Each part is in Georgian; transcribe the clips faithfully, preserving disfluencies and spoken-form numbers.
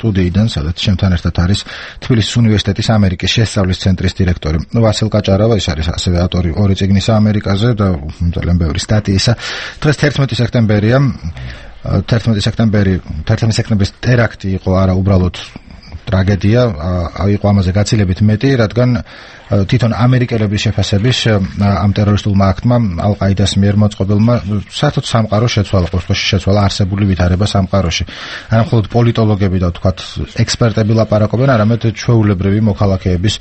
სტუდიიდან, სადაც ჩემთან ერთად არის თბილისის უნივერსიტეტის ამერიკის შესწავლის ცენტრის დირექტორი ვასილ კაჭარავა, ის არის ასევე ავტორი ორი წიგნისა ამერიკაზე და ძალიან ბევრი სტატიისა. დღეს თერთმეტი სექტემბერია. თერთმეტი სექტემბერი, თერთმეტი სექტემბრის ტერაქტი იყო არა უბრალოდ ტრაგედია, იყო ამაზე გაცილებით მეტი, რადგან თვითონ ამერიკელების შეფასების ამ ტერორისტულმა აქტმა ალ-ყაიდას მიერ მოწყობილმა საერთოდ სამყარო შეცვალა, ყოველთვის შეცვალა არსებული ვითარება სამყაროში. არა მხოლოდ პოლიტოლოგები და თქვათ ექსპერტები ლაპარაკობენ, არამედ ჩვეულებრივი მოქალაქეების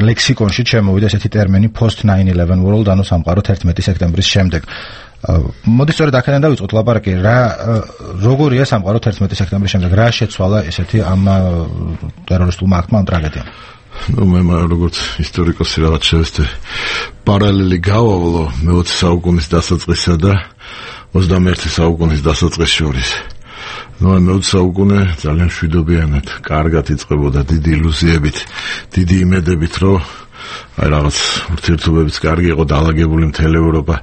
ლექსიკონში შემოვიდა ესეთი ტერმინი post nine eleven world, ანუ სამყარო თერთმეტი სექტემბრის შემდეგ. მოდი სწორედ აქედან დავიწყოთ ლაპარაკი, რა როგორია სამყარო თერთმეტი სექტემბრის შემდეგ, რა შეცვალა ესეთი ამ ტერორისტულმა აქტმა, ამ ტრაგედიამ? ну მე როგორც ისტორიკოსი რაღაც შევეცდე პარალელი გავავლო მეოცე საუკუნის დასაწყისსა და ოცდამეერთე საუკუნის დასაწყის შორის. ну მეოცე საუკუნე ძალიან მშვიდობიანად, კარგად იწყებოდა, დიდი ილუზიებით, დიდი იმედებით, რომ აი რაღაც ურთიერთობებიც კარგი იყო, დაალაგებული მთელი ევროპა.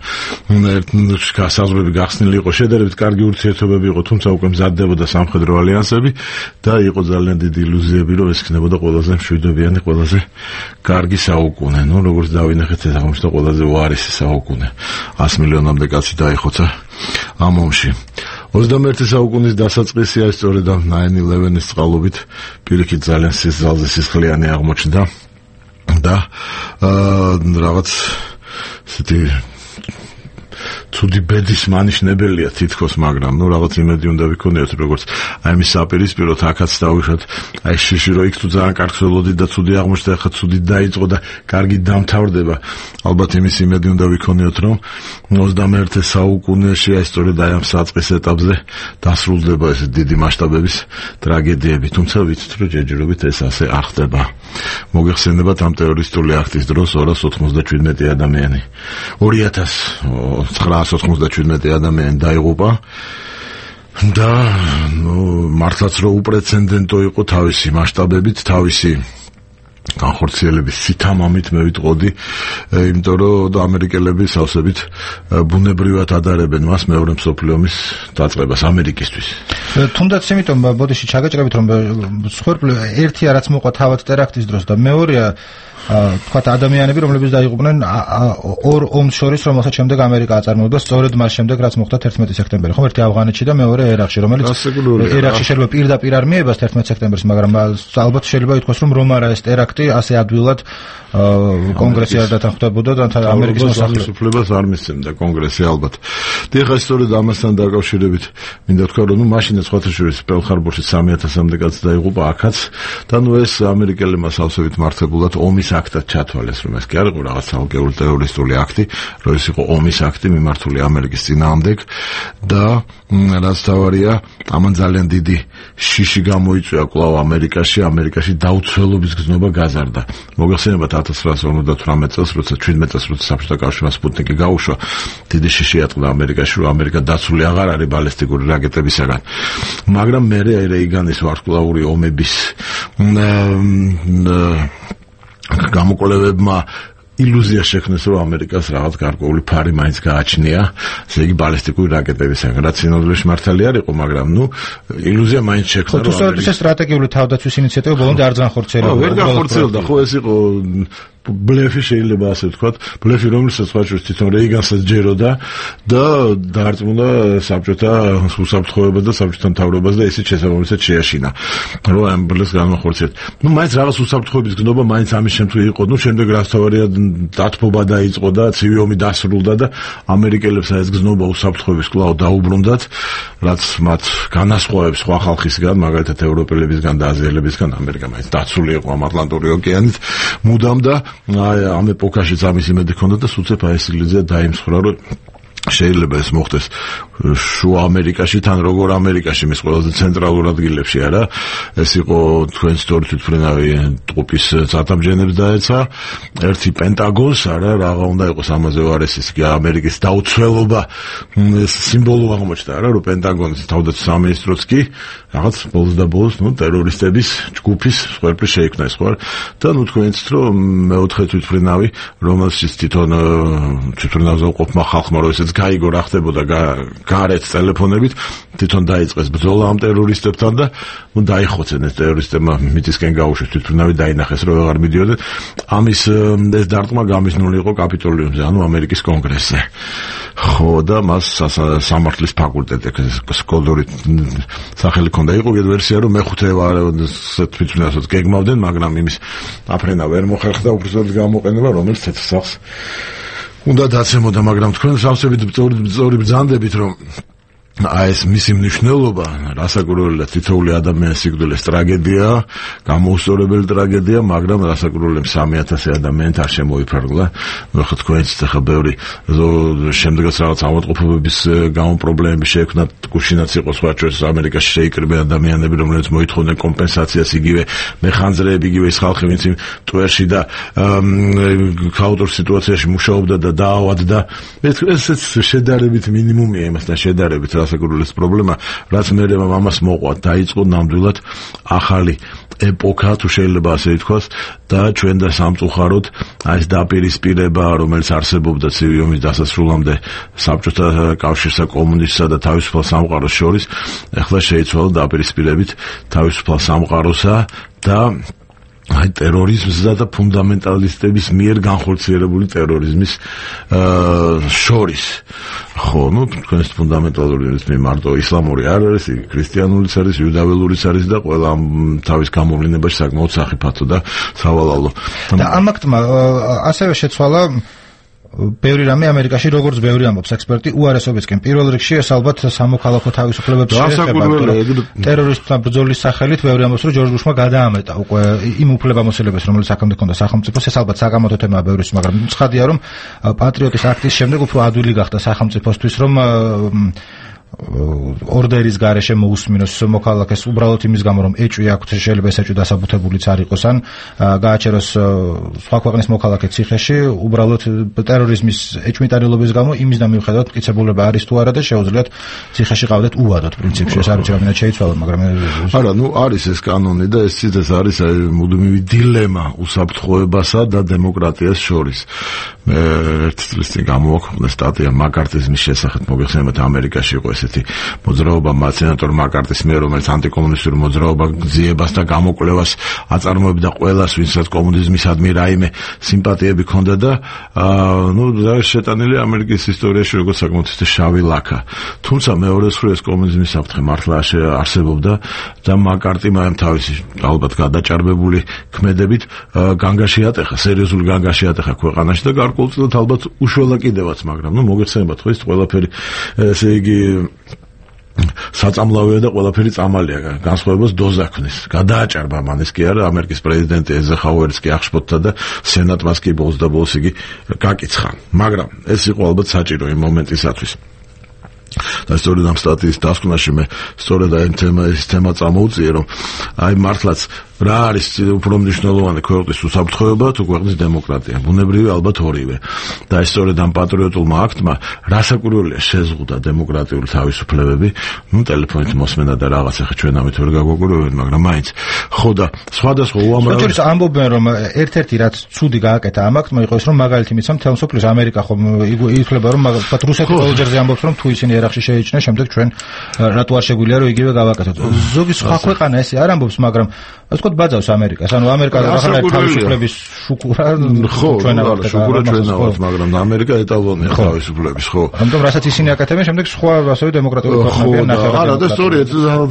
საზღვრები გახსნილი იყო, შედარებით კარგი ურთიერთობები იყო, თუმცა უკვე მზადდებოდა სამხედრო ალიანსები და იყო ძალიან დიდი ილუზიები, რომ ეს იქნებოდა ყველაზე მშვიდობიანი, ყველაზე კარგი საუკუნე. ну როგორც დავინახეთ, ეს აღმოჩნდა ყველაზე უარესი საუკუნე. ას მილიონამდე კაცი დაიხოცა ამ ომში. ოცდამეერთე საუკუნის დასაწყისი აი სწორედ ამ nine eleven-ის წყალობით პირიქით ძალიან სიზალზე სისხლიანი აღმოჩნდა. და რაღაც ესეთი ცუდი ბედის მანიშნებელია თითქოს, მაგრამ ნუ რაღაც იმედი უნდა ვიქონიოთ, როგორც აი მის საპირისპიროდ აქაც დავუშვათ, აი შიში რო იქ თუ ძალიან კარგ ველოდი და ცუდი აღმოჩნდა, ახლა ცუდი დაიწყო და კარგი დამთავრდება. ალბათ იმის იმედი უნდა ვიქონიოთ, რომ ოცდამეერთე საუკუნეში აი სწორედ აი ამ საწყის ეტაპზე დასრულდება ეს დიდი მასშტაბების ტრაგედიები, თუმცა ვიცით, რომ ჯერჯერობით ეს ასე არ ხდება. მოგეხსენებათ ამ ტერორისტული აქტის დროს ორას ოცდაშვიდმეტი ადამიანი ორი ათას ცხრაას ოცდაშვიდმეტი ადამიანი დაიღუპა და ნუ მართლაც რომ უპრეცედენტო იყო თავისი მასშტაბებით, თავისი განხორციელების სითამამით მე ვიტყოდი, იმიტომ რომ ამერიკელები სავსებით ბუნებრივად ადარებენ მას მეორე მსოფლიო ომის დაწყებას ამერიკისთვის. თუნდაც იმიტომ ბოდიში ჩაგაჭრებით, რომ სხვერპლი ერთი რაც მოყვა თავად ტერაქტის დროს და მეორეა თქვათ ადამიანები, რომლებიც დაიღუპნენ ორ ომს შორის, რომელსაც შემდეგ ამერიკა აწარმოებდა სწორედ მას შემდეგ, რაც მოხდა თერთმეტი სექტემბერი, ხო, ერთი ავღანეთში და მეორე ერაყში, რომელიც ერაყში შეიძლება პირდაპირ არ მიებას თერთმეტი სექტემბერს, მაგრამ ალბათ შეიძლება ითქვას, რომ რომ არა ეს ტერაქტი ასე ადვილად კონგრესი არ დათანხმდებოდა და ამერიკის მოსახლეობას არ მისცემდა კონგრესი ალბათ. და ეხლა სწორედ ამასთან დაკავშირებით მინდა თქვა, რომ ნუ მაშინაც სხვათა შორის პერლ-ჰარბორში სამი ათასამდე კაცი დაიღუპა აქაც და ნუ ეს ამერიკელებმა სავსებით მართებულად ომის აქტად ჩათვალეს, რომ ეს კი არ იყო რაღაც ალგებრული ტერორისტული აქტი, რომ ეს იყო ომის აქტი მიმართული ამერიკის წინააღმდეგ და რაც თავარია, ამან ძალიან დიდი შიში გამოიწვია კვლავ ამერიკაში, ამერიკაში დაუცველობის გზნობა გაზარდა. მოგეხსენებათ ათას ცხრაასი ორმოცდათვრამეტ წელს, როცა შვიდმეტ წელს, როცა საბჭოთა კავშირმა სპუტნიკი გაუშვა, დიდი შიში ატყდა ამერიკაში, რომ ამერიკა დაცული აღარ არის ბალისტიკური რაკეტებისაგან. მაგრამ მერე აი რეიგანის ვარსკვლავური ომების გამოკვლევებმა ილუზია შექმნეს, რომ ამერიკას რაღაც გარკვეული ფარი მაინც გააჩნია, ესე იგი ბალისტიკური რაკეტებისგან, რაც სინოდლეში მართალი არ იყო, მაგრამ ნუ ილუზია მაინც შექმნა, რომ ამერიკა სტრატეგიული თავდაცვის ინიციატივა ბოლომდე არ განხორციელდა. ვერ განხორციელდა, ხო ეს იყო ბლეფი შეიძლება ასე ვთქვათ, ბლეფი რომელსაც ხაჭუს თვითონ რეიგანსაც ჯეროდა და დაარწმუნდა საბჭოთა უსაფრთხოებას და საბჭოთა მთავრობას და ისიც შესაბამისად შეაშინა, რომ ამ ბლეს განახორციელოთ. ნუ მაინც რაღაც უსაფრთხოების გზნობა მაინც ამის შემთხვევაში იყო, ნუ შემდეგ რაც თავარია დათბობა დაიწყო და ცივი ომი დასრულდა და ამერიკელებს ეს გზნობა უსაფრთხოების კვლავ დაუბრუნდათ, რაც მათ განასხვავებს სხვა ხალხისგან, მაგალითად ევროპელებისგან და აზიელებისგან. ამერიკა მაინც დაცული იყო ამ ატლანტური ოკეანით მუდამ და აი ამ ეპოქაშიც ამის იმედი ჰქონდა და სუცებ აი ეს ილუზია დაიმსხვრა, რომ შეიძლება ეს მოხდეს შუა ამერიკაში, თან როგორ ამერიკაში, მის ყველაზე ცენტრალურ ადგილებში, არა? ეს იყო თქვენ სწორი თვითმფრინავი ტყუპის წარდამჯენებს დაეცა, ერთი პენტაგონს, არა, რაღა უნდა იყოს ამაზე უარესის კი ამერიკის დაუცველობა სიმბოლო აღმოჩნდა, არა, რომ პენტაგონის თავდაცვის სამინისტროც კი რაღაც ბოლოს და ბოლოს, ნუ ტერორისტების ჯგუფის სხვერპლი შეიქმნა ეს ხო? და ნუ თქვენც რომ მეოთხე თვითმფრინავი, რომელშიც თვითონ თვითმფრინავზე ყოფმა ხალხმა რომ ესეც გაიგო რა ხდებოდა გარეთ ტელეფონებით, თვითონ დაიწყეს ბრძოლა ამ ტერორისტებთან და ნუ დაიხოცენ ეს ტერორისტებმა მიწისკენ გაუშვეს, თვითონავე დაინახეს რომ აღარ მიდიოდნენ. ამის ეს დარტყმა გამიზნული იყო კაპიტოლიუმზე, ანუ ამერიკის კონგრესზე. ხო და მას სამართლის ფაკულტეტი სკოლდორი სახელი ჰქონდა. იყო კიდევ ვერსია რომ მეხუთე ვარ თვითონაც გეგმავდნენ, მაგრამ იმის აფრენა ვერ მოხერხდა უბრალოდ გამოყენება, რომელიც ცეცხლსახს უნდა დაცემოდა, მაგრამ თქვენ სავსებით სწორი ბრძანდებით რომ აი ეს მისი მნიშვნელობა რასაკურველია თითოეული ადამიანის სიკვდილის ტრაგედია, გამოუსწორებელი ტრაგედია, მაგრამ რასაკურველია სამი ათასი ადამიანით არ შემოიფარგლა. ნუ ხო თქვენც ახლა ბევრი შემდეგაც რაღაც ავადმყოფობების გამო პრობლემები შეექმნა, გუშინაც იყო სხვა ჩვენს ამერიკაში შეიკრიბნენ ადამიანები, რომლებიც მოითხოვდნენ კომპენსაციას, იგივე მეხანძრეები, იგივე ის ხალხი, ვინც იმ ტვერში და ქაოტურ სიტუაციაში მუშაობდა და დაავადდა. ეს შედარებით მინიმუმია იმასთან შედარებით ასაკურველის პრობლემა, რაც მე ამას მოყვა, დაიწყო ნამდვილად ახალი ეპოქა, თუ შეიძლება ასე ითქვას, და ჩვენ და სამწუხაროდ აი ეს დაპირისპირება, რომელიც არსებობდა ცივი ომის დასასრულამდე საბჭოთა კავშირსა, კომუნისტსა და თავისუფალ სამყაროს შორის, ეხლა შეიცვალა დაპირისპირებით თავისუფალ სამყაროსა და აი ტერორიზმსა და ფუნდამენტალისტების მიერ განხორციელებული ტერორიზმის შორის. ხო, ნუ თქვენს ფუნდამენტალიზმი მარტო ისლამური არ არის, ქრისტიანულიც არის, იუდაველურიც არის და ყველა თავის გამოვლენებაში საკმაოდ სახიფათო და სავალალო. და ამ აქტმა ასევე შეცვალა ბევრი რამე ამერიკაში, როგორც ბევრი ამბობს ექსპერტი, უარესობისკენ. პირველ რიგში ეს ალბათ სამოქალაქო თავისუფლებებს შეეხება. ტერორისტთა ბრძოლის სახელით ბევრი ამბობს, რომ ჯორჯ ბუშმა გადაამეტა უკვე იმ უფლებამოსილებას, რომელიც აქამდე ჰქონდა სახელმწიფოს. ეს ალბათ საგამოთო თემაა ბევრის, მაგრამ ცხადია, რომ პატრიოტის აქტის შემდეგ უფრო ადვილი გახდა სახელმწიფოსთვის, რომ ორდერის გარეშე მოусმინოს მოქალაქეს უბრალოდ იმის გამო რომ ეჭვი აქვს, შეიძლება ეს ეჭვი დასაბუთებულიც არ იყოს, ან გააჩეროს სხვა ქვეყნის მოქალაქე ციხეში, უბრალოდ ტერორიზმის ეჭვმიტანილობის გამო იმის და მიუხედავად მტკიცებულება არის თუ არა და შეუძლიათ ციხეში ყავდეთ უვადოთ პრინციპში. ეს არ ვიცი რამდენად შეიცვალა, მაგრამ არა, ნუ არის ეს კანონი და ეს ციტეს არის მუდმივი დილემა უსაფრთხოებასა და დემოკრატიას შორის. მე ერთ წლის წინ გამოვაქვეყნე სტატია მაკარტიზმის შესახებ, მოგეხსენებათ ამერიკაში იყო ესეთი მოძრაობა სენატორ მაკარტის მიერ, რომელიც ანტიკომუნისტური მოძრაობა გზიებას და გამოკვლევას აწარმოებდა ყველას, ვინცაც კომუნიზმისადმი რაიმე სიმპათიები ჰქონდა და ნუ შეტანილი ამერიკის ისტორიაში როგორც საკმაოდ შავი ლაქა. თუმცა მეორე მხრივ კომუნიზმის საფრთხე მართლა არსებობდა და მაკარტი მაიმ თავისი ალბათ გადაჭარბებული ქმედებით განგაში ატეხა, სერიოზული განგაში ატეხა ქვეყანაში და გარკვეულწილად ალბათ უშველა კიდევაც, მაგრამ ნუ მოგეხსენებათ ხო ის ყველაფერი, ესე იგი საწამლავია და ყველაფერი წამალია, განსხვავებას დოზა ქნის. გადააჭარბა მან ეს კი არა, ამერიკის პრეზიდენტი ეზეხაუერიც კი აღშფოთდა და სენატმაც კი ბოლოს და ბოლოს იგი გაკიცხა. მაგრამ ეს იყო ალბათ საჭირო იმ მომენტისათვის. და სწორედ ამ სტატიის დასკვნაში მე სწორედ აი თემა ეს თემა წამოუწიე, რომ აი მართლაც რა არის უფრო მნიშვნელოვანი ქვეყნის უსაფრთხოება თუ ქვეყნის დემოკრატია. ბუნებრივი ალბათ ორივე. და ეს სწორედ ამ პატრიოტულმა აქტმა რასაკურველია შეზღუდა დემოკრატიული თავისუფლებები, ნუ ტელეფონით მოსმენა და რაღაც, ახლა ჩვენ ამით ვერ გაგვაკვირვებთ, მაგრამ მაინც ხო და სხვადასხვა უამრავი შეიძლება ამბობენ, რომ ერთ-ერთი რაც ცუდი გააკეთა ამ აქტმა იყო ის, რომ მაგალითი მიცემ თელ მსოფლიოს ამერიკა ხომ ითვლება, რომ მაგალითად რუსეთი ყოველჯერზე ამბობს, რომ თუ ისინი ერახში შეიჭრნენ, შემდეგ ჩვენ რატო არ შეგვიძლია რომ იგივე გავაკეთოთ. ზოგი სხვა ქვეყანა ესე არ ამბობს, მაგრამ ასე ვთქვათ ბაძავს ამერიკას, ანუ ამერიკა რაღაცნაირად თავისუფლების შუქურა ჩვენავთ, შუქურა ჩვენავთ, მაგრამ ამერიკა ეტალონია თავისუფლების, ხო. ამიტომ რასაც ისინი აკეთებენ, შემდეგ სხვა ასევე დემოკრატიული ქვეყნებიან ნახევარად. არა, და სწორედ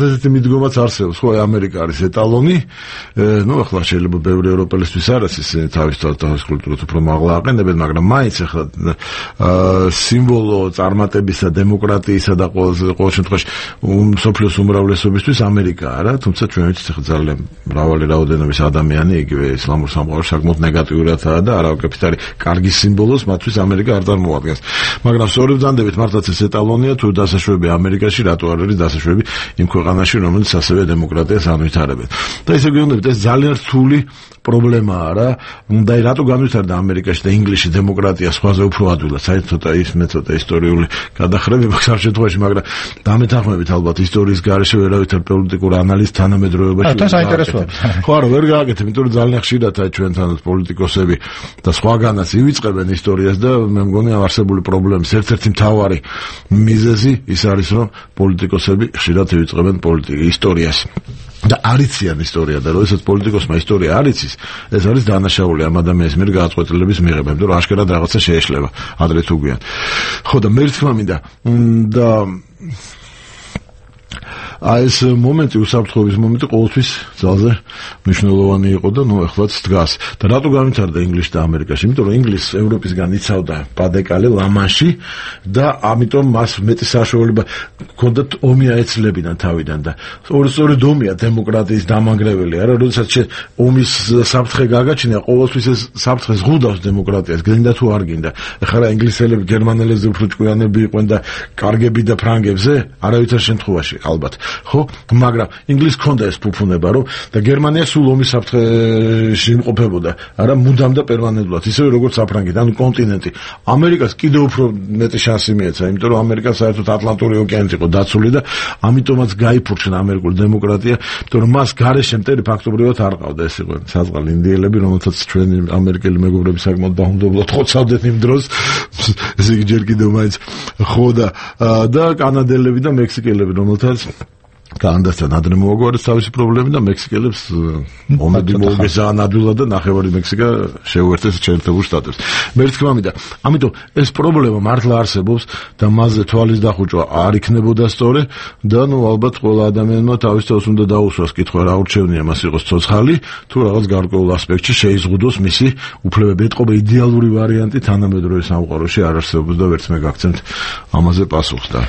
ესეთი მიდგომაც არსებობს, ხო, ამერიკა არის ეტალონი. ნუ ახლა შეიძლება ბევრი ევროპელისთვის არ არის ისინი თავის თავის კულტურას უფრო მაღლა აყენებენ, მაგრამ მაინც ახლა სიმბოლო წარმატებისა, დემოკრატიისა და ყოველ შემთხვევაში მსოფლიოს უმრავლესობისთვის ამერიკა არა, თუმცა ჩვენ ვიცით ახლა ძალიან მრავალი რაოდენობის ადამიანი იგივე ისლამურ სამყაროში საკმაოდ ნეგატიურადაა და არავითარ არის კარგი სიმბოლოს მათთვის ამერიკა არ წარმოადგენს. მაგრამ სწორედ ბრძანდებით მართლაც ეს ეტალონია, თუ დასაშვები ამერიკაში რატო არ არის დასაშვები იმ ქვეყანაში, რომელიც ასევე დემოკრატიას ანვითარებენ. და ესე გეუბნებით, ეს ძალიან რთული პრობლემაა რა. და რატო განვითარდა ამერიკაში და ინგლისში დემოკრატია სხვაზე უფრო ადვილად, საერთოდ ცოტა ის მე ცოტა ისტორიული გადახრები მაქვს ამ შემთხვევაში, მაგრამ დამეთანხმებით ალბათ ისტორიის გარეშე ვერავითარ პოლიტიკურ ანალიზს თანამედროვეობაში. თან საინტერესოა. ხო არა, ვერ გააკეთებ, იმიტომ რომ ძალიან ხშირად ჩვენთანაც პოლიტიკოსები და სხვაგანაც ივიწყებენ ისტორიას და მე მგონი ამ არსებული პრობლემის ერთ-ერთი მთავარი მიზეზი ის არის, რომ პოლიტიკოსები ხშირად ივიწყებენ პოლიტიკას ისტორიას. და არიციან ისტორია და როდესაც პოლიტიკოსმა ისტორია არ იცის, ეს არის დანაშაული ამ ადამიანის მიერ გადაწყვეტილების მიღება, იმიტომ რომ აშკარად რაღაცა შეეშლება ადრე თუ გვიან. ხო და მე თქმა მინდა და აი ეს მომენტი, უსაფრთხოების მომენტი ყოველთვის ძალზე მნიშვნელოვანი იყო და ნუ ახლაც დგას. და რატო განვითარდა ინგლისში და ამერიკაში? იმიტომ რომ ინგლისს ევროპისგან იცავდა პადეკალე ლა-მანში და ამიტომ მას მეტი საშუალება ჰქონდა ომი აეცლებინან თავიდან და სწორედ ომია დემოკრატიის დამანგრეველი, არა? როდესაც ომის საფრთხე გაგაჩნია, ყოველთვის ეს საფრთხე ზღუდავს დემოკრატიას, გინდა თუ არ გინდა. ეხლა რა ინგლისელები გერმანელებზე უფრო ჭკვიანები იყვნენ და კარგები და ფრანგებზე, არავითარ შემთხვევაში ალბათ. ხო, მაგრამ ინგლისს ჰქონდა ეს ფუფუნება, რომ და გერმანია სულ ომის საფრთხეში იმყოფებოდა, არა მუდამ და პერმანენტულად, ისევე როგორც საფრანგეთი, ანუ კონტინენტი. ამერიკას კიდევ უფრო მეტი შანსი მიეცა, იმიტომ რომ ამერიკა საერთოდ ატლანტური ოკეანით იყო დაცული და ამიტომაც გაიფურჩნა ამერიკული დემოკრატია, იმიტომ რომ მას გარეშე მტერი ფაქტობრივად არ ყავდა, ეს იყო საზღვარი ინდიელები, რომელთაც ჩვენი ამერიკელი მეგობრები საკმაოდ დაუნდობლად ხოცავდნენ იმ დროს, ესე იგი ჯერ კიდევ მაინც ხო და და კანადელები და მექსიკელები, რომელთაც კანადასთან ადრე მოაგვარეს თავისი პრობლემები და მექსიკელებს მომენტი მოუგეზაან ადვილად და ნახევარი მექსიკა შეუერთეს შეერთებულ შტატებს. მე თქმა მინდა, ამიტომ ეს პრობლემა მართლა არსებობს და მასზე თვალის დახუჭვა არ იქნებოდა სწორი და ნუ ალბათ ყველა ადამიანმა თავის თავს უნდა დაუსვას კითხვა, რა ურჩევნია მას იყოს ცოცხალი თუ რაღაც გარკვეულ ასპექტში შეიზღუდოს მისი უფლებები. ეთყობა იდეალური ვარიანტი თანამედროვე სამყაროში არ არსებობს და ვერც მე გაგცემთ ამაზე პასუხს და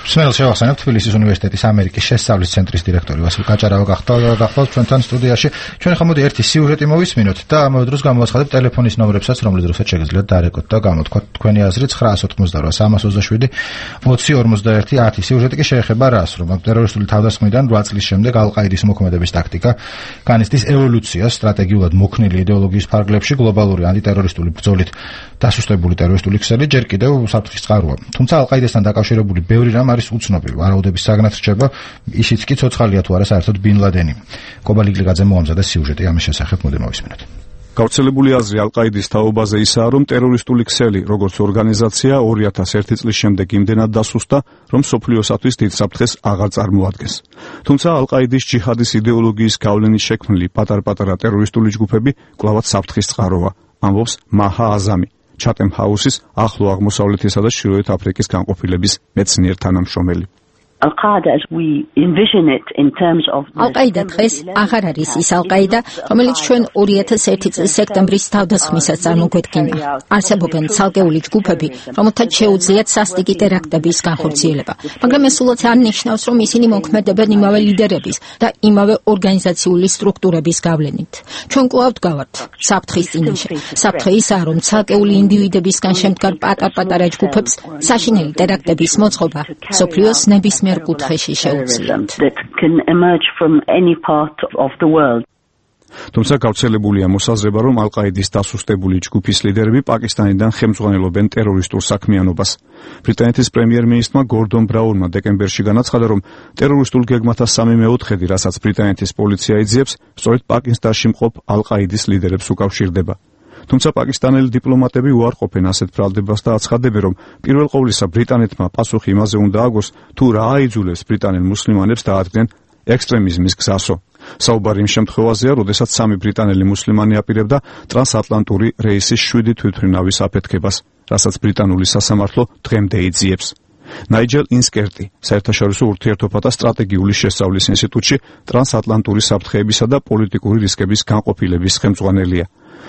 სმელ შევახსენებ თბილისის უნივერსიტეტის ამერიკის შესწავლის ცენტრის დირექტორი ვასილ კაჭარავა გახლავთ ჩვენთან სტუდიაში. ჩვენ ხომ მოდი ერთი სიუჟეტი მოვისმინოთ და ამავე დროს გამოვაცხადებ ტელეფონის ნომრებსაც, რომლის დროსაც შეგიძლიათ დარეკოთ და გამოთქვათ თქვენი აზრი ცხრაას ოთხმოცდარვა სამას ოცდაშვიდი ოცი ორმოცდაერთი ათი. სიუჟეტი კი შეეხება რას, რომ ტერორისტული თავდასხმიდან რვა წლის შემდეგ ალ-ყაიდის მოქმედების ტაქტიკა, განიცდის ევოლუციას სტრატეგიულად მოქნილი იდეოლოგიის ფარგლებში, გლობალური ანტიტერორისტული ბრძოლით დასუსტებული ტერორისტული ქსელი ჯერ კიდევ საფრთხის წყაროა. თუმცა ალ-ყაიდასთან დაკავშირებული ბევრი რამ არის უცნობი, ვარაუდების საგნად რჩება, ისიც კი ცოცხალია თუ არა საერთოდ ბინ ლადენი. კობა ლიკლიგაძე მოამზადა სიუჟეტი ამის შესახებ, მოდი მოვისმინოთ. გავრცელებული აზრი ალ-ყაიდის თაობაზე ისაა, რომ ტერორისტული ქსელი, როგორც ორგანიზაცია, ორი ათას ერთი წლის შემდეგ იმდენად დასუსტა, რომ მსოფლიოსათვის დიდ საფრთხეს აღარ წარმოადგენს. თუმცა ალ-ყაიდის ჯიჰადის იდეოლოგიის გავლენით შექმნილი პატარ-პატარა ტერორისტული ჯგუფები კვლავაც საფრთხის წყაროა, ამბობს მაჰა აზამი, ჩატემ ჰაუსის ახლო აღმოსავლეთისა და ჩრდილოეთ აფრიკის განყოფილების მეცნიერ თანამშრომელი. ალ-ყაიდა დღეს აღარ არის ის ალ-ყაიდა, რომელიც ჩვენ ორი ათას ერთი წლის სექტემბრის თავდასხმისას წარმოგვედგინა. არსებობენ ცალკეული ჯგუფები, რომელთაც შეუძლიათ სასტიკი ტერაქტების განხორციელება, მაგრამ ეს სულაც არ ნიშნავს, რომ ისინი მოქმედებენ იმავე ლიდერების და იმავე ორგანიზაციული სტრუქტურების გავლენით. ჩვენ კვლავ ვდგავართ საფრთხის წინაშე. საფრთხე ისაა, რომ ცალკეული ინდივიდებისგან შემდგარ პატარ-პატარა ჯგუფებს საშინელი ტერაქტების მოწყობა მსოფლიოს ნებისმიერ კუთხეში შეუძლიათ. თუმცა გავრცელებულია მოსაზრება, რომ ალ-ყაიდის დასუსტებული ჯგუფის ლიდერები პაკისტანიდან ხელმძღვანელობენ ტერორისტულ საქმიანობას. ბრიტანეთის პრემიერ-მინისტრმა გორდონ ბრაუნმა დეკემბერში განაცხადა, რომ ტერორისტულ გეგმათა სამი მეოთხედი, რასაც ბრიტანეთის პოლიცია იძიებს, სწორედ პაკისტანში მყოფ ალ-ყაიდის ლიდერებს უკავშირდება. თუმცა პაკისტანელი დიპლომატები უარყოფენ ასეთ ბრალდებას და აცხადებენ, რომ პირველ ყოვლისა ბრიტანეთმა პასუხი იმაზე უნდა აგოს, თუ რა აიძულებს ბრიტანელ მუსლიმანებს დაადგნენ ექსტრემიზმის გზასო. საუბარი იმ შემთხვევაზეა, როდესაც სამი ბრიტანელი მუსლიმანი აპირებდა ტრანსატლანტური რეისის შვიდი თვითმფრინავის აფეთქებას, რასაც ბრიტანული სასამართლო დღემდე იძიებს. ნაიჯელ ინსკერტი, საერთაშორისო ურთიერთობათა სტრატეგიული შესწავლის ინსტიტუტში ტრანსატლანტური საფრთხეებისა და პოლიტიკური რისკების განყოფილების ხელმძღვანელია.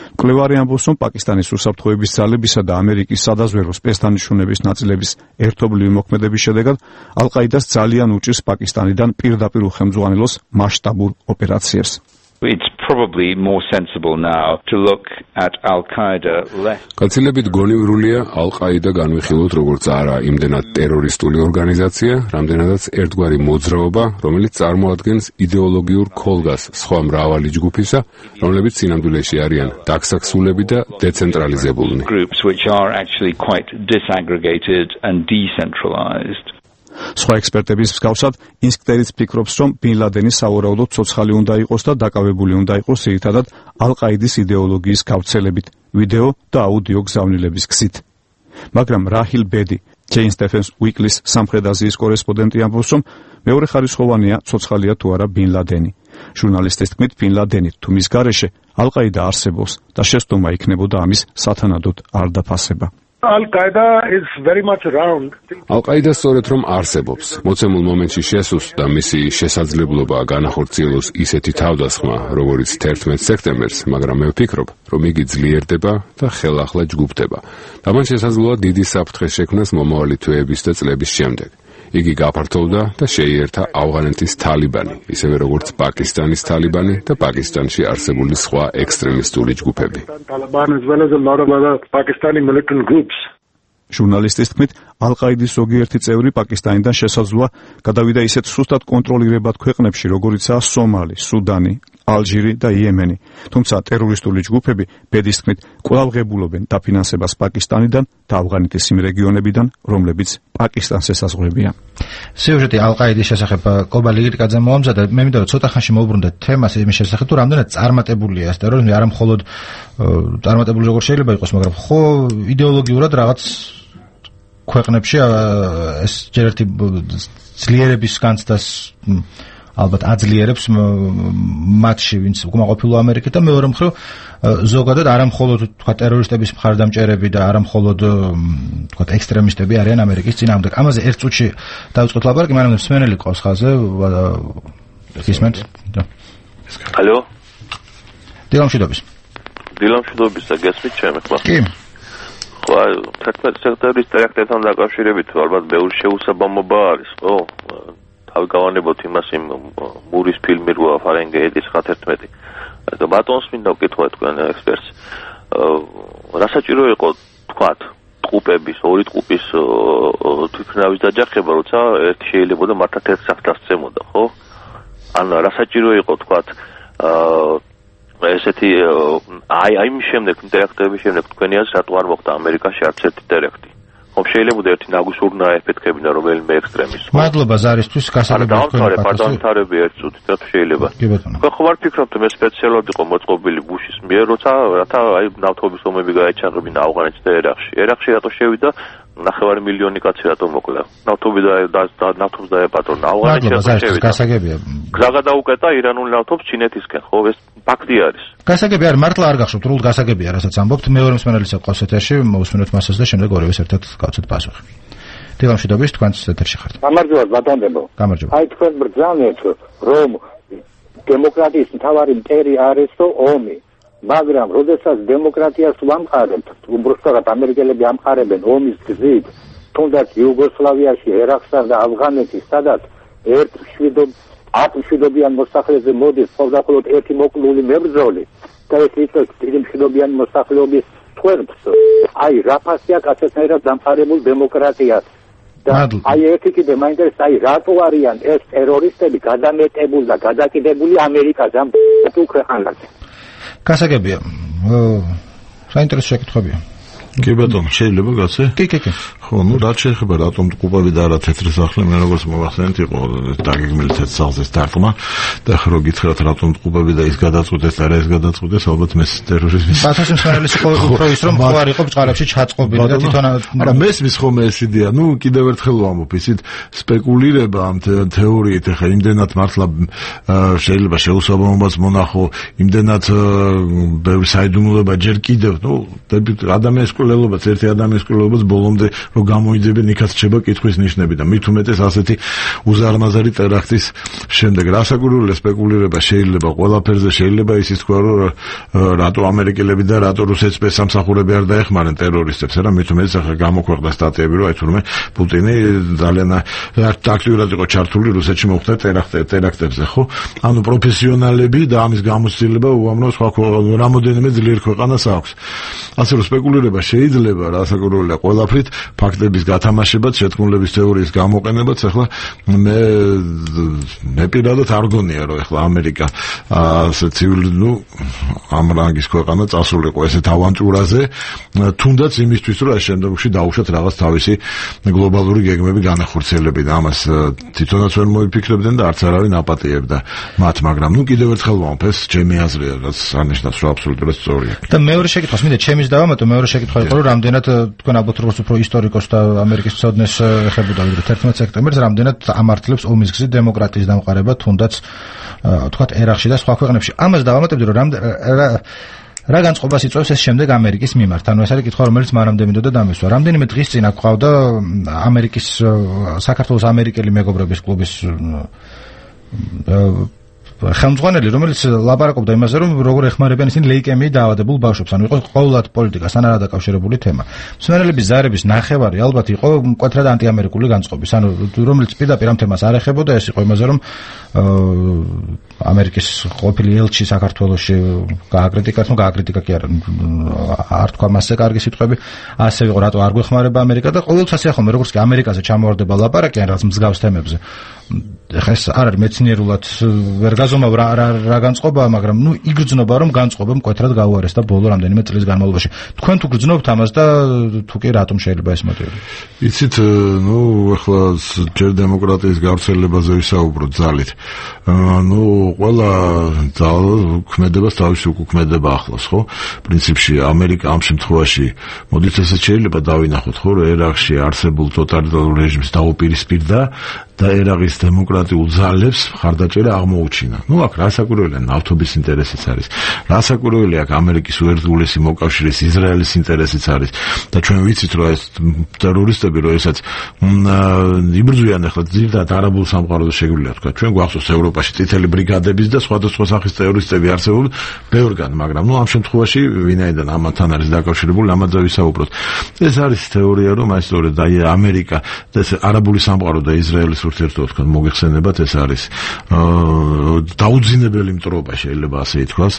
მკვლევარი ამბობს, რომ პაკისტანის უსაფრთხოების ძალებისა და ამერიკის სადაზვერვო სპეცდანიშნულების ნაწილების ერთობლივი მოქმედების შედეგად ალ-ყაიდას ძალიან უჭირს პაკისტანიდან პირდაპირ უხელმძღვანელოს მასშტაბურ ოპერაციებს. It's probably more sensible now to look at Al-Qaeda less. Გაცილებით გონივრულია ალ-ყაიდა განვიხილოთ როგორც არა იმდენად ტერორისტული ორგანიზაცია, რამდენადაც ერთგვარი მოძრაობა, რომელიც წარმოადგენს იდეოლოგიურ ქოლგას სხვა მრავალი ჯგუფისა, რომლებიც სინამდვილეში არიან დაქსაქსულები და დეცენტრალიზებულნი. Groups which are actually quite disaggregated and decentralized. სხვა ექსპერტების მსგავსად, ინსკტერიც ფიქრობს, რომ ბინ ლადენი სავარაუდოდ ცოცხალი უნდა იყოს და დაკავებული უნდა იყოს ძირითადად ალ-ყაიდის იდეოლოგიის გავრცელებით, ვიდეო და აუდიო გზავნილების გზით. მაგრამ რაჰილ ბედი, Chain Stephens Weekly-ის სამხრეთ აზიის კორესპონდენტი ამბობს, რომ მეორეხარისხოვანია ცოცხალია თუ არა ბინ ლადენი. ჟურნალისტის თქმით, ბინ ლადენი თუ მის გარეშე ალ-ყაიდა არსებობს და შეცდომა იქნებოდა ამის სათანადოდ არ დაფასება. Al-Qaeda is very much around. Al-Qaeda სწორედ რომ არსებობს. მოცემულ მომენტში შესულს და მისი შესაძლებლობა განახორციელოს ისეთი თავდასხმა, როგორც თერთმეტ სექტემბერს, მაგრამ მე ვფიქრობ, რომ იგი ძლიერდება და ხელახლა ჯგუფდება. და მან შესაძლოა დიდი საფრთხე შექმნას მომავალი თვეების და წლების შემდეგ. იგი გაფართოვდა და შეიერთა ავღანეთის თალიბანი, ისევე როგორც პაკისტანის თალიბანი და პაკისტანში არსებული სხვა ექსტრემისტული ჯგუფები. ჟურნალისტის თქმით, ალ-ყაიდის ზოგიერთი წევრი პაკისტანიდან შესაძლოა გადავიდა ისეთ სუსტად კონტროლირებად ქვეყნებში, როგორიცაა სომალი, სუდანი, ალჟირი და იემენი. თუმცა ტერორისტული ჯგუფები ბედის თქმით კვლავ ღებულობენ დაფინანსებას პაკისტანიდან და ავღანეთის იმ რეგიონებიდან, რომლებიც პაკისტანს ესაზღვრებიან. სიუჟეტი ალ-ყაიდის შესახებ კობალი ირკაძე მოამზადა. მე მინდა რომ ცოტა ხანში მოვუბრუნდეთ თემას იმის შესახებ, თუ რამდენად წარმატებულია ეს ტერორიზმი, არა მხოლოდ წარმატებული როგორ შეიძლება იყოს, მაგრამ ხო იდეოლოგიურად რაღაც ქვეყნებში ეს ჯერ ერთი ძლიერების განცდას ალბათ აძლიერებს მათში, ვინც უკმაყოფილო ამერიკით და მეორე მხრივ ზოგადად არა მხოლოდ თქვა ტერორისტების მხარდამჭერები და არა მხოლოდ თქვა ექსტრემისტები არიან ამერიკის წინააღმდეგ. ამაზე ერთ წუთში დავიწყოთ ლაპარაკი, მაგრამ მსმენელი ყავს ხაზზე. გისმენთ? ალო? დილამშვიდობის. დილამშვიდობის და გესმით ჩემი ხმა? კი. ხო, თერთმეტ სექტემბრის ტერაქტთან დაკავშირებით ალბათ ბევრი შეუსაბამობა არის, ხო? თავი გავანებოთ იმას იმ მურის ფილმი როა ფარენგეიტის ხათერთმეტი. და ბატონს მინდა ვკითხო თქვენ ექსპერტს. რა საჭირო იყო თქვათ ტყუპების, ორი ტყუპის თვითმფრინავის დაჯახება, როცა ერთი შეიძლებოდა მართლა ერთ საფრთხეს წემოდა, ხო? ან რა საჭირო იყო თქვათ ესეთი აი აი მის შემდეგ ტერაქტების შემდეგ თქვენი აზრით რატო არ მოხდა ამერიკაში არც ერთი ტერაქტი? ხომ შეიძლება ერთი ნაგუსურნა ეფექტებინა რომელიმე ექსტრემისტი. მადლობა ზარისთვის, გასაგებია თქვენი პარტნიორები ერთ წუთით რა შეიძლება. ხო ხო ვარ ფიქრობთ მე სპეციალურად იყო მოწყობილი ბუშის მიერ, როცა რათა აი ნავთობის ომები გაეჩაღებინა ავღანეთში და ერაყში. ერაყში რატო შევიდა ნახევარი მილიონი კაცი რატო მოკლა? ნავთობი და ნავთობს დაეპატრონა ავღანეთში რატო შევიდა? გასაგებია. გზა გადაუკეტა ირანული ნავთობს ჩინეთისკენ, ხო ეს ფაქტი არის. გასაგები არ მართლა არ გახსოვთ, რულ გასაგებია, რასაც ამბობთ. მეორე მსმენელიც ყავს ეთერში, მოусმინოთ მასას და შემდეგ ორივეს ერთად გავცეთ პასუხი. დილამშვიდობის, თქვენც ეთერში ხართ. გამარჯობა, ბატონებო. გამარჯობა. აი თქვენ ბრძანეთ, რომ დემოკრატიის მთავარი მტერი არისო ომი, მაგრამ როდესაც დემოკრატიას ვამყარებთ, უბრალოდ ამერიკელები ამყარებენ ომის გზით, თუნდაც იუგოსლავიაში, ერაყსა და ავღანეთის, სადაც ერთ შვიდობ ათმშვიდობიან მოსახლეზე მოდის მხოლოდ ერთი მოკლული მებრძოლი და ეს იწევს დიდი მშვიდობიანი მოსახლეობის თვერფს. აი რა ფასია კაცებთან დამყარებულ დემოკრატიას. და აი ერთი კიდე მაინტერესებს, აი რატო არიან ეს ტერორისტები გადამეტებული და გადაკიდებული ამერიკაზე ამ თუ ქვეყანაზე? გასაგებია. საინტერესო შეკითხვებია. კი ბატონო, შეიძლება გაცე? კი, კი, კი. ხო, ну, რაც შეეხება რატომ ტყუპები და არა თეთრი სახლი, მე როგორც მოვახსენეთ, იყო დაგეგმილი თეთრ სახლზეს დარტყმა და ხო რო გითხრათ რატომ ტყუპები და ის გადაწყვეტეს და რა ეს გადაწყვეტეს, ალბათ მე ტერორიზმის. ბათუმის მსმენელის უფრო ის რომ ხო არ იყო ბჭყალებში ჩაწყობილი და თვითონ არა მესმის ხოლმე ეს იდეა, ну, კიდევ ერთხელ ვამბობ, ისეთ სპეკულირება ამ თეორიით, ეხა იმდენად მართლა შეიძლება შეუსაბამობას მონახო, იმდენად ბევრი საიდუმლოება ჯერ კიდევ, ну, ადამიანის მკვლელობაც ერთი ადამიანის მკვლელობაც ბოლომდე რომ გამოიძებენ იქაც რჩება კითხვის ნიშნები და მით უმეტეს ასეთი უზარმაზარი ტერაქტის შემდეგ რასაკვირველია სპეკულირება შეიძლება ყველაფერზე შეიძლება ისიც თქვა რომ რატო ამერიკელები და რატო რუსეთის სპეცსამსახურები არ დაეხმარნენ ტერორისტებს რა მით უმეტეს ახლა გამოქვეყნდა სტატიები რომ აი თურმე პუტინი ძალიან აქტიურად იყო ჩართული რუსეთში მოხდა ტერაქტებზე ხო ანუ პროფესიონალები და ამის გამოცდილება უამრავ სხვა რამოდენიმე ძლიერ ქვეყანას აქვს ასე რომ სპეკულირება შეიძლება რასაკვირველია ყველაფრით ფაქტების გათამაშებაც შეთქმულების თეორიის გამოყენებაც ახლა მე მე პირადად არ გონია რომ ახლა ამერიკა ასე ცივილი ნუ ამ რანგის ქვეყანა წასულიყო ესეთ ავანტურაზე თუნდაც იმისთვის რომ ამ შემდგომში დაუშვათ რაღაც თავისი გლობალური გეგმები განახორციელებინა ამას თვითონაც ვერ მოიფიქრებდნენ და არც არავინ აპატიებდა მათ მაგრამ ნუ კიდევ ერთხელ ვამბობ ეს ჩემი აზრია რაც არნიშნავს რომ აბსოლუტურად სწორია და მეორე შეკითხვას მინდა ჩემის დავამატო მეორე შეკითხვა იყო რომ რამდენად თქვენ ალბათ როგორც უფრო ისტორიკოს და ამერიკის მცოდნეს ეხებოდა ვიდრე თერთმეტ სექტემბერს რამდენად ამართლებს ომის გზით დემოკრატიის დამყარება თუნდაც თქვათ ერაყში და სხვა ქვეყნებში ამას დავამატებდი რომ რა განწყობას იწვევს ეს შემდეგ ამერიკის მიმართ ანუ ეს არის კითხვა რომელიც მანამდე მინდოდა დამისვა რამდენიმე დღის წინ აქვავდა ამერიკის საქართველოს ამერიკელი მეგობრების კლუბის ხელმძღვანელი რომელიც ლაპარაკობდა იმაზე რომ როგორ ეხმარებიან ისინი ლეიკემიით დაავადებულ ბავშვებს ანუ იყო ყოველად პოლიტიკასთან არ დაკავშირებული თემა მსმენელების ზარების ნახევარი ალბათ იყო მკვეთრად ანტიამერიკული განწყობის ანუ რომელიც პირდაპირ ამ თემას არ ეხებოდა ეს იყო იმაზე რომ ამერიკის ყოფილი ელჩი საქართველოში გააკრიტიკა თუმცა გააკრიტიკა კი არა არ თქვა მასზე კარგი სიტყვები ასე იყო რატო არ გვეხმარება ამერიკა და ყოველთვის ასე ახლა როგორც კი ამერიკაზე ჩამოვარდება ლაპარაკი ან რაღაც მსგავს თემებზე ეხლა ეს არ არის მეცნიერულად ვერ გაზომავ რა რა განწყობაა მაგრამ ნუ იგრძნობა რომ განწყობა მკვეთრად გაუარეს და ბოლო რამდენიმე წლის განმავლობაში თქვენ თუ გრძნობთ ამას და თუ კი რატომ შეიძლება ეს მოტივი იცით ნუ ეხლა ჯერ დემოკრატიის გავრცელებაზე ვისაუბროთ ძალით ნუ ყველა ქმედებას თავისი უკუქმედება ახლავს ხო პრინციპში ამერიკა ამ შემთხვევაში მოდით ესეც შეიძლება დავინახოთ ხო რომ ერაყში არსებულ ტოტალიტარულ რეჟიმს დაუპირისპირდა და ერაყის დემოკრატიულ ძალებს მხარდაჭერა აღმოუჩინა. ნუ აქ რასაკვირველია ნავთობის ინტერესიც არის. რასაკვირველია აქ ამერიკის უერთგულესი მოკავშირის ისრაელის ინტერესიც არის და ჩვენ ვიცით რომ ეს ტერორისტები რომ ესაც იბრძვიან ახლა ძირითადად არაბულ სამყაროზე შეგვიძლია თქვა. ჩვენ გვახსოვს ევროპაში წითელი ბრიგადების და სხვადასხვა სახის ტერორისტები არსებობენ ბევრგან, მაგრამ ნუ ამ შემთხვევაში ვინაიდან ამათთან არის დაკავშირებული, ამაზე ვისაუბროთ. ეს არის თეორია რომ აი სწორედ აი ამერიკა და ეს არაბული სამყარო და ისრაელის ურთიერთობა თქვა მოგეხსენებათ ეს არის დაუძინებელი მტრობა შეიძლება ასე ითქვას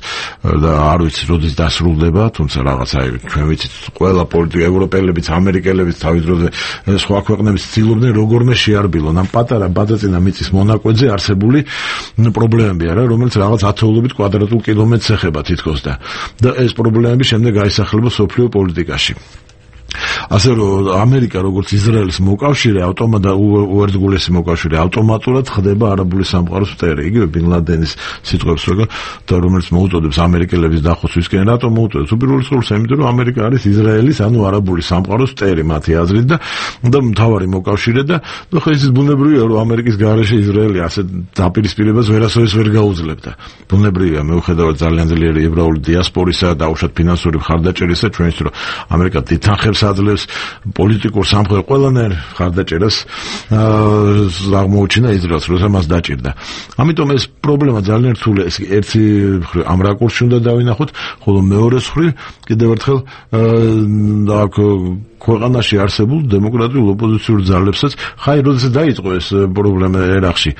და არ ვიცი როდის დასრულდება, თუმცა რაღაც აი ჩვენ ვიცით ყველა პოლიტიკა ევროპელებიც, ამერიკელებიც თავის დროზე სხვა ქვეყნების ცდილობდნენ როგორმე შეარბილონ ამ პატარა ბადაწინა მიწის მონაკვეთზე არსებული პრობლემები არა, რომელიც რაღაც ათეულობით კვადრატულ კილომეტრს ეხება თითქოს და და ეს პრობლემები შემდეგ გაისახება სოფლიო პოლიტიკაში. ასე რომ ამერიკა როგორც ისრაელის მოკავშირე ავტომატურად უერთგულესი მოკავშირე ავტომატურად ხდება არაბული სამყაროს მტერი. იგივე ბინ ლადენის სიტყვებს როგორ და რომელიც მოუწოდებს ამერიკელების დახოცვისკენ რატომ მოუწოდებს? უპირველეს ყოვლისა იმიტომ რომ ამერიკა არის ისრაელის ანუ არაბული სამყაროს მტერი მათი აზრით და და მთავარი მოკავშირე და ნუ ხო ის ბუნებრივია რომ ამერიკის გარეშე ისრაელი ასე დაპირისპირებას ვერასოდეს ვერ გაუძლებდა. ბუნებრივია მეუხედავად ძალიან ძლიერი ებრაული დიასპორისა და უშუალოდ ფინანსური მხარდაჭერისა ჩვენს რომ ამერიკა დიდხანს აძლევს პოლიტიკურ სამხედრო ყველანაირ მხარდაჭერას აღმოუჩინა ისრაელს, როცა მას დაჭირდა. ამიტომ ეს პრობლემა ძალიან რთულია. ეს ერთი ამ რაკურსში უნდა დავინახოთ, ხოლო მეორე მხრივ კიდევ ერთხელ აქ ქვეყანაში არსებულ დემოკრატიულ ოპოზიციურ ძალებსაც ხაი როდესაც დაიწყო ეს პრობლემა ერაყში.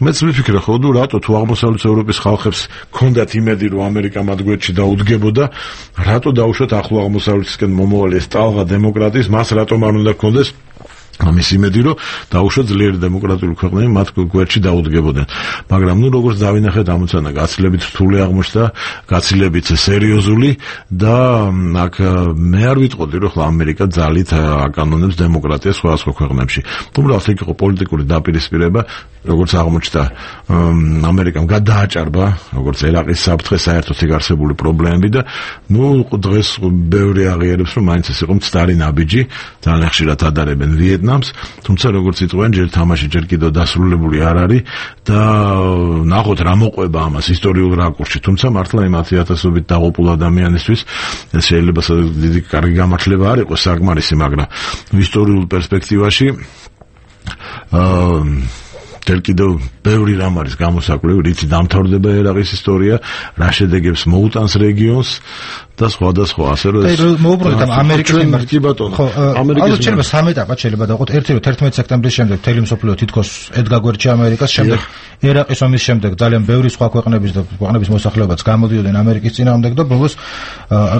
მეც ვიფიქრე ხო თუ რატო თუ აღმოსავლეთ ევროპის ხალხებს ჰქონდათ იმედი რომ ამერიკა მათ გვერდში დაუდგებოდა, რატო დაუშვათ ახლო აღმოსავლეთისკენ მომავალი ეს ტალღა დემოკრატიის, მას რატომ არ უნდა ჰქონდეს ამის იმედი რომ დაუშვათ ძლიერი დემოკრატიული ქვეყნები მათ გვერდში დაუდგებოდნენ. მაგრამ ნუ როგორც დავინახეთ ამოცანა გაცილებით რთული აღმოჩნდა, გაცილებით სერიოზული და აქ მე არ ვიტყოდი რომ ხლა ამერიკა ძალით აკანონებს დემოკრატიას სხვადასხვა ქვეყნებში. თუმცა იქ იყო პოლიტიკური დაპირისპირება, როგორც აღმოჩნდა ამერიკამ გადააჭარბა როგორც ერაყის საფრთხე საერთოდ იქ არსებული პრობლემები და ნუ დღეს ბევრი აღიარებს რომ მაინც ეს იყო მცდარი ნაბიჯი, ძალიან ხშირად ადარებენ ვიეტნამს ვიეტნამს, თუმცა როგორც იტყვიან, ჯერ თამაში ჯერ კიდევ დასრულებული არ არის და ნახოთ რა მოყვება ამას ისტორიულ რაკურსში. თუმცა მართლა იმ ათი ათასობით დაღუპულ ადამიანისთვის შეიძლება დიდი კარგი გამართლება არ იყოს საკმარისი, მაგრამ ისტორიულ პერსპექტივაში აა თელ კიდევ ბევრი რამ არის გამოსაკლევი, რითი დამთავრდება ერაყის ისტორია, რა შედეგებს მოუტანს რეგიონს და სხვა და სხვა, ასე რომ ეს მოუბრუნდეთ ამ ამერიკის მიმართ. კი ბატონო. ხო, ამერიკის შეიძლება სამი ეტაპად შეიძლება დავყოთ. ერთი რომ თერთმეტი სექტემბრის შემდეგ მთელი მსოფლიო თითქოს ედგა გვერდში ამერიკას, შემდეგ ერაყის ომის შემდეგ ძალიან ბევრი სხვა ქვეყნების და ქვეყნების მოსახლეობაც გამოდიოდნენ ამერიკის წინააღმდეგ და ბოლოს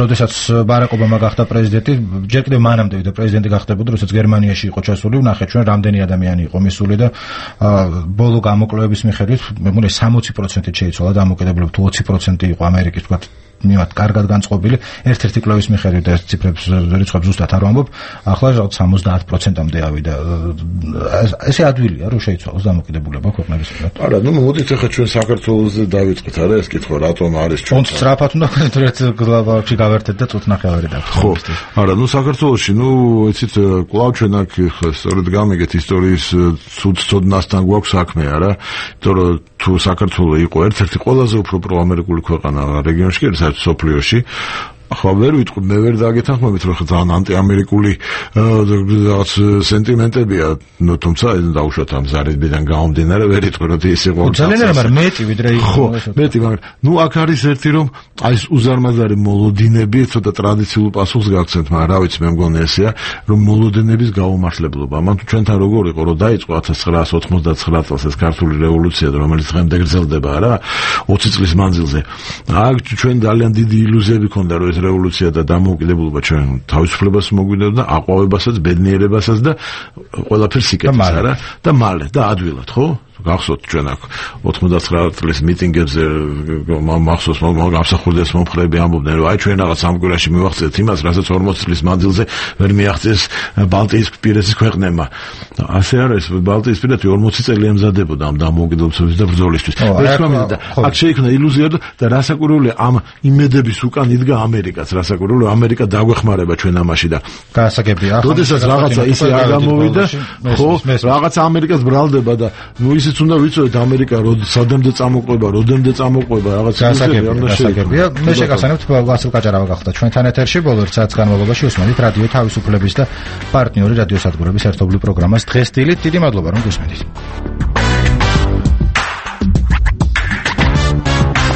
როდესაც ბარაკ ობამა გახდა პრეზიდენტი, ჯერ კიდევ მანამდე ვიდრე პრეზიდენტი გახდებოდა, როდესაც გერმანიაში იყო ჩასული, ვნახეთ ჩვენ რამდენი ადამიანი იყო მისული და ბოლო გამოკვლევების მიხედვით მეგონი სამოცი პროცენტით შეიცვალა დამოკიდებულება თუ ოცი პროცენტი იყო ამერიკის თქვა მიმართ კარგად განწყობილი ერთ-ერთი კვლევის მიხედვით და ეს ციფრებს რიცხვებს ზუსტად არ ვამბობ ახლა რაღაც სამოცდაათ პროცენტამდე ავიდა ესე ადვილია რომ შეიცვალოს დამოკიდებულება ქვეყნების მიმართ. არა, ნუ მოდით ახლა ჩვენ საქართველოსზე დავიწყეთ, არა ეს კითხვა რატომ არის ჩვენ თუნდაც სწრაფად უნდა ვქნათ ერთ გლავაში გავერთეთ და წუთ ნახევარი დავხსნათ. ხო, არა, ნუ საქართველოში ნუ იცით კვლავ ჩვენ აქ სწორედ გამიგეთ ისტორიის ცუდ ცოდნასთან გვაქვს საქმე, არა? იმიტომ რომ თუ საქართველო იყო ერთ-ერთი ყველაზე უფრო პროამერიკული ქვეყანა რეგიონში, საერთოდ სოფლიოში, ახლა ვერ ვიტყვი, მე ვერ დაგეთანხმებით, რომ ძალიან ანტიამერიკული რაღაც სენტიმენტებია, ნუ თუმცა დაუშვათ ამ ზარებიდან გამომდინარე, ვერ იტყვი, რომ ის იყო ძალიან არა, მაგრამ მეტი ვიდრე იყო. ხო, მეტი, მაგრამ ნუ აქ არის ერთი რომ აი ეს უზარმაზარი მოლოდინები, ცოტა ტრადიციულ პასუხს გაგცემთ, მაგრამ რა ვიცი, მე მგონი ესეა, რომ მოლოდინების გაუმართლებლობა. მან თუ ჩვენთან როგორ იყო, რომ დაიწყო ათას ცხრაასი ოცდაათმეტ წელს ეს ქართული რევოლუცია, რომელიც დღემდე გრძელდება რა, ოცი წლის მანძილზე. აქ ჩვენ ძალიან დიდი ილუზიები ქონდა, რომ რევოლუცია და დამოუკიდებლობა ჩვენ თავისუფლებას მოგვიდოდა, აყვავებასაც, ბედნიერებასაც და ყველაფერს იკეთებს, არა? და მალე და ადვილად, ხო? გახსოვთ ჩვენ აქ ოცდაათმეტ წლის მიტინგებზე მახსოვს გამსახურდეს მომხრეები ამბობდნენ, რომ აი ჩვენ რაღაც ამ კვირაში მივახცეთ იმას, რასაც ორმოცი წლის მანძილზე ვერ მიაღწიეს ბალტიისპირეთის ქვეყნებმა. ასე არ არის, ბალტიისპირეთი ორმოცი წელი ემზადებოდა ამ დამოუკიდებლობის და ბრძოლისთვის. და აქ შეიქმნა ილუზია და რასაკვირველია ამ იმედების უკან იდგა ამერიკაც, რასაკვირველია ამერიკა დაგვეხმარება ჩვენ ამაში და გასაგებია. როდესაც რაღაცა ისე არ გამოვიდა, ხო, რაღაცა ამერიკას ბრალდება და ნუ ისიც უნდა ვიცოდეთ ამერიკა სადამდე წამოყვება, როდემდე წამოყვება, რაღაც გასაგებია. მე შეგახსენებთ ვასილ კაჭარავა გახდა ჩვენთან ეთერში ბოლო ერთ საათის განმავლობაში უსმენთ რადიო თავისუფლების და პარტნიორი რადიოსადგურების ერთობლივ პროგრამას დღეს დილით. დიდი მადლობა რომ გუსმენთ.